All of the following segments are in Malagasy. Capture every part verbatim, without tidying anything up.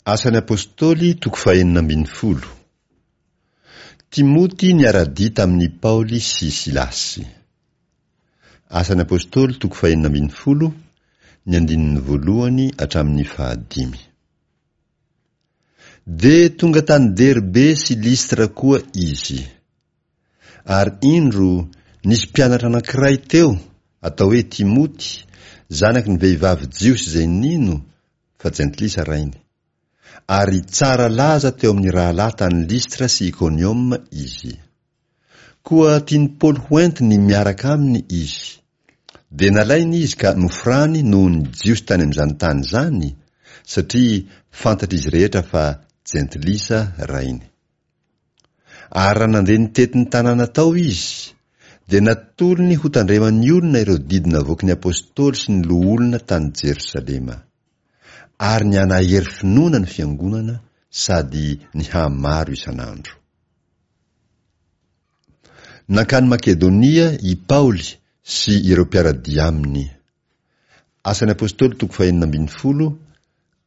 Asan'ny Apostoly toko fahenina ambin'ny folo. Timoty niara-dia tamin'i Paoly sy Silasy. Asan'ny Apostoly toko fahenina ambin'ny folo, ny andininy voalohany hatramin'ny fahadimy. Dia tonga tany Derbe sy Listra koa izy. Ary indro, nisy mpianatra anankiray teo, atao hoe Timoty, zanaky ny vehivavy jiosy izay nino, fa jentilisa rainy. Ary tsara laza teo amin'ny rahalahy tany Listra sy Ikonioma izy. Koa tian'i Paoly ho entiny miaraka aminy izy. Dia nalainy izy ka nofrany noho ny Jiosy tany amin'izany tany izany, satria fantatr'izy rehetra fa jentilisa rainy. Ary raha nandeha nitety ny tanàna tao izy, dia natolony hotandreman'ny olona ireo didy navoaky ny apostoly sy ny loholona tany Jerosalema. Ary nihanahery finoana ny fiangonana sady nihamaro isan'andro. Nankany Makedonia i Paoly sy ireo mpiara-dia aminy. Asan'ny Apostoly toko fahenina ambin'ny folo,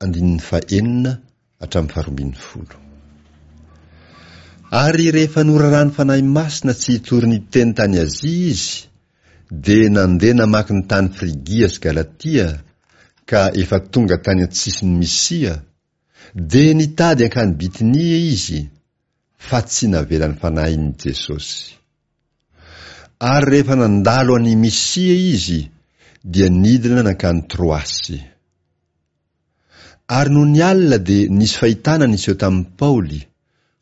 andininy fahenina hatramin'ny faharoa ambin'ny folo. Ary rehefa noraràn'ny Fanahy Masina tsy hitory ny teny tany Azia izy, dia nandeha namaky ny tany Frigia sy Galatia, ka efa tonga tany an-tsisin'i Misia, dia nitady hankany Bitinia izy, fa tsy navelan'ny Fanahin'i Jesosy. Ary rehefa nandalo an'i Misia izy, dia nidina nankany Troasy. Ary nony alina dia nisy fahitana niseho tamin'i Paoly,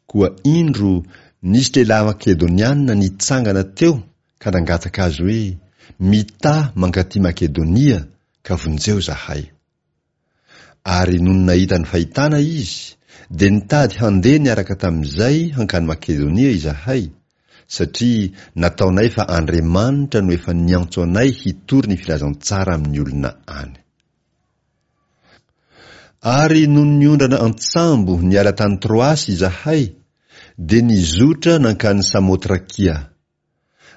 koa indro nisy lehilahy Makedoniana nitsangana teo ka nangataka azy hoe, Mità mankaty Makedonia ka vonjeo izahay. Ary nony nahita ny fahitana izy, dia nitady handeha niaraka tamin'izay hankany Makedonia izahay, satria nataonay fa Andriamanitra no efa niantso anay hitory ny filazantsara amin'ny olona any. Ary nony niondrana an-tsambo niala tany Troasy izahay, dia nizotra nankany Samotrakia.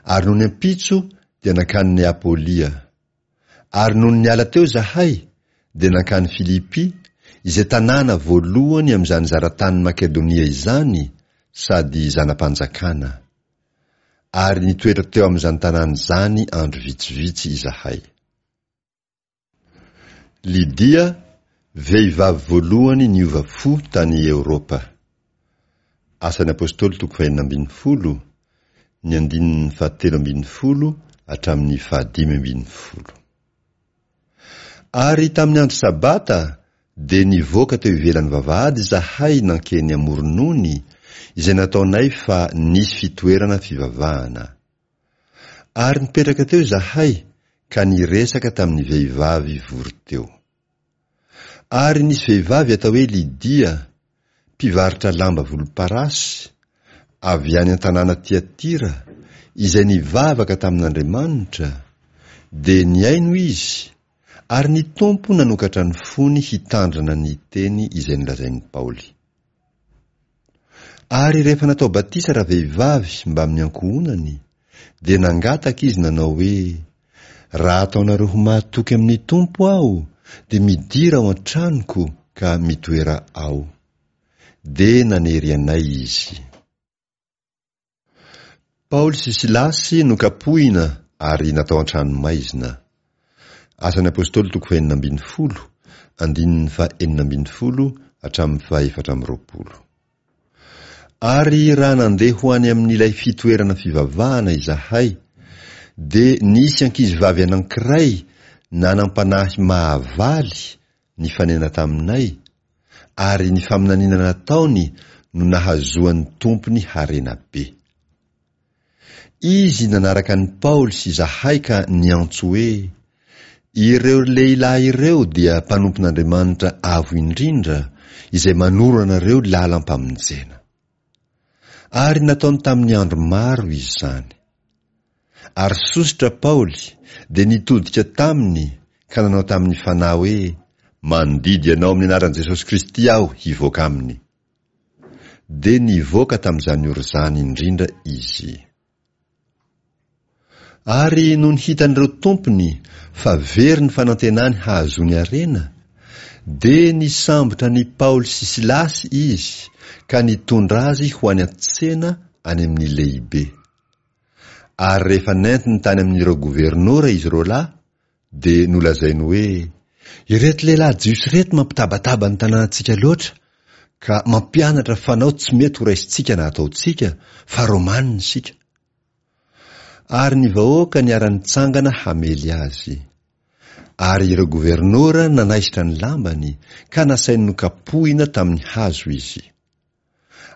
Ary nony ampitso dia nankany Neapolia. Ary nony niala teo izahay, dia nankany Filipy, izay tanàna voalohany amin'izany zaratanin'i Makedonia izany, sady zana-panjakana. Ary nitoetra teo amin'izany tanàna izany andro vitsivitsy izahay. Lydia, vehivavy voalohany niova fo tany Eoropa. Asan'ny Apostoly toko fahenina ambin'ny folo, ny andininy fahatelo ambin'ny folo hatramin'ny fahadimy ambin'ny folo. Ary tamin'ny andro Sabata dia nivoaka teo ivelan'ny vavahady izahay nankeny amoron'ony, izay nataonay fa nisy fitoerana fivavahana. Ary nipetraka teo izahay ka niresaka tamin'ny vehivavy vory teo. Ary nisy vehivavy atao hoe Lydia, mpivarotra lamba volomparasy, avy any an-tanàna Tiatira, izay nivavaka tamin'Andriamanitra, dia nihaino izy, ary ny Tompo nanokatra ny fony hitandrina ny teny izay nolazain'i Paoly. Ary rehefa natao batisa ravehivavy mbamin'ny ankohonany, dia nangataka izy nanao hoe, Raha ataonareo ho mahatoky amin'ny Tompo aho, dia midira ao an-tranoko ka mitoera ao. Dia nanery anay izy. Paoly sy Silasy nokapohina ary natao an-tranomaizina. Asan'ny Apostoly toko fahenina ambin'ny folo, andininy fahenina ambin'ny folo hatramin'ny fahefatra amby roapolo. Ary raha nandeha ho any amin'ilay fitoerana fivavahana izahay, dia nisy ankizivavy anankiray nanam-panahy mahavaly nifanena taminay, ary ny faminaniana nataony no nahazoan'ny tompony harena be. Izy nanaraka an'i Paoly sy izahay ka niantso hoe, Ireo lehilahy ireo dia mpanompon'Andriamanitra Avo Indrindra, izay manoro anareo lalam-pamonjena. Ary nataony tamin'ny andro maro izany. Ary sosotra Paoly, dia nitodika taminy ka nanao tamin'ny fanahy hoe, Mandidy anao amin'ny anaran'i Jesosy Kristy aho hivoaka aminy. Dia nivoaka tamin'izany ora izany indrindra izy. Ary nony hitan'ireo tompony fa very ny fanantenany hahazoany harena, Dia nisambotra an'i Paoly sy Silasy izy ka nitondra azy ho any an-tsena any amin'ny lehibe. Ary rehefa nentiny tany amin'ireo governora izy roalahy, dia nolazainy hoe, Ireto lehilahy Jiosy ireto mampitabataba ny tanànantsika loatra, ka mampianatra fanao tsy mety horaisintsika na hataontsika, fa Romanina isika. Ary ny vahoaka niara-nitsangana hamely azy. Ary ireo governora nanaisotra ny lambany, ka nasainy nokapohina tamin'ny hazo izy.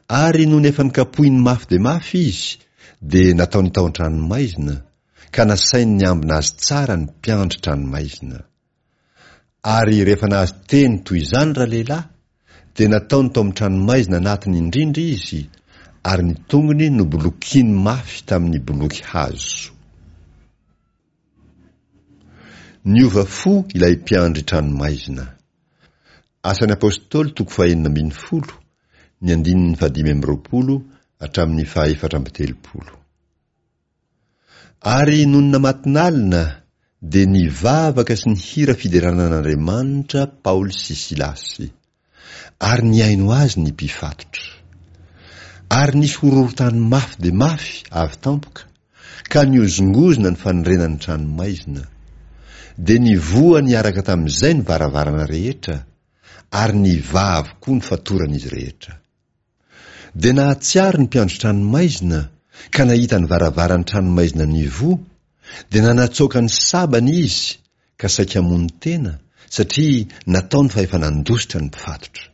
Ary nony efa nokapohiny mafy dia mafy izy, dia nataony tao an-tranomaizina, ka nasainy niambina azy tsara ny mpiandry tranomaizina. Ary rehefa nahazo teny toy izany ralehilahy, dia nataony tao amin'ny tranomaizina anatiny indrindra izy, ary ny tongony nobolokiany mafy tamin'ny boloky hazo. Niova fo ilay mpiandry tranomaizina. Asan'ny Apostoly toko fahenina ambin'ny folo, ny andininy fahadimy amby roapolo hatramin'ny fahaefatra amby telopolo. Ary nony namatonalina, dia nivavaka sy nihira fiderana an'Andriamanitra Paoly sy Silasy. Ary nihaino azy ny mpifatotra. Ary nisy horohorontany mafy dia mafy avy tampoka, ka nihozongozona ny fanorenan'ny tranomaizina. Dia nivoha niaraka tamin'izay ny varavarana rehetra, ary nivaha avokoa ny fatoran'izy rehetra. Dia nahatsiaro ny mpiandry tranomaizina, ka nahita ny varavaran'ny tranomaizina nivoha, dia nanatsoaka ny sabany izy, ka saika hamono tena, satria nataony fa efa nandositra ny mpifatotra.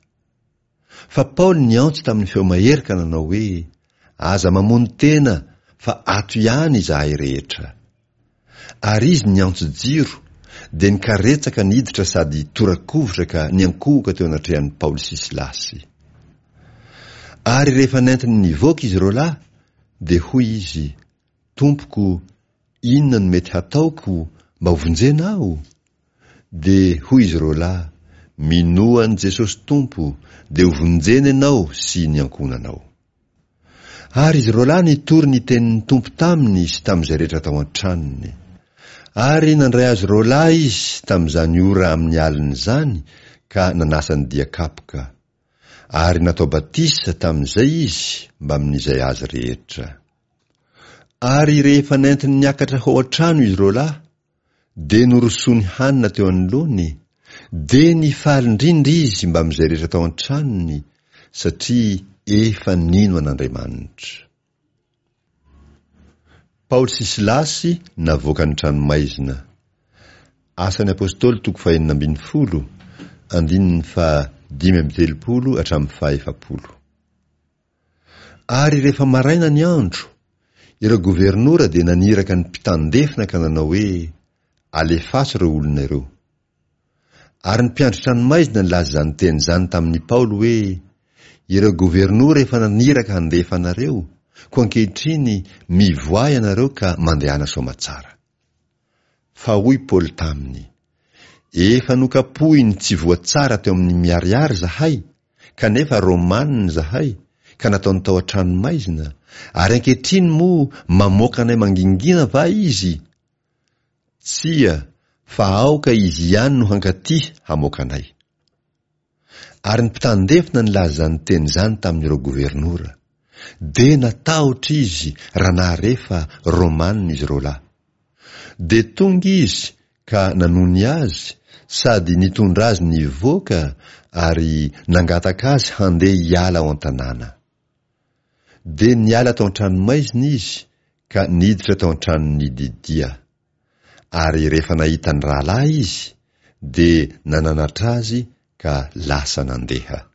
Fa Paoly niantso tamin'ny feo mahery ka nanao hoe, Aza mamono tena, fa ato ihany izahay rehetra. Ary izy niantso jiro, dia nikaretsaka niditra sady tora-kovitra ka niankohoka teo anatrehan'i Paoly sy Silasy. Ary rehefa nentiny nivoaka izy roalahy, dia hoy izy, Tompoko, inona no mety hataoko mba hovonjena aho? Dia hoy izy roalahy, Minoa an'i Jesosy Tompo, dia hovonjena ianao sy ny ankohonanao. Ary izy roalahy nitory ny tenin'ny Tompo taminy sy tamin'izay rehetra tao an-tranony. Ary nandray azy roalahy izy tamin'izany ora amin'ny alina izany ka nanasa ny dia kapoka. Ary natao batisa tamin'izay izy mbamin'izay azy rehetra. Ary rehefa nentiny niakatra ho ao an-trano izy roalahy, dia norosoany hanina teo anoloany, dia nifaly indrindra izy mbamin'izay rehetra tao an-tranony, satria efa nino an'Andriamanitra. Paoly sy Silasy navoaka ny tranomaizina. Asan'ny Apostoly toko fahenina ambin'ny folo, andininy fahadimy amby telopolo hatramin'ny fahaefapolo. Ary rehefa maraina ny andro, ireo governora dia naniraka ny mpitandefina ka nanao hoe, Alefaso ireo olona ireo. Ary ny mpiandry tranomaizina nilaza izany teny izany tamin'i Paoly hoe, Ireo governora efa naniraka handefa anareo, koa ankehitriny mivoaha ianareo ka mandehana soamatsara. Fa hoy Paoly taminy, Efa nokapohiny tsy voatsara teo amin'ny miariary zahay, kanefa Romanina izahay, ka nataony tao an-tranomaizina, ary ankehitriny moa mamoaka anay mangingina va izy? Tsia, fa aoka izy ihany no hankaty hamoaka anay. Ary ny mpitandefina nilaza izany teny izany tamin'ireo governora. Dia natahotra izy raha nahare fa Romanina izy roalahy. Dia tonga izy ka nanony azy sady nitondra azy nivoaka ary nangataka azy handeha hiala ao an-tanàna. Dia niala tao an-tranomaizina izy ka niditra tao an-tranon'i Lydia. Ary rehefa nahita ny rahalahy izy, dia nananatra azy ka lasa nandeha.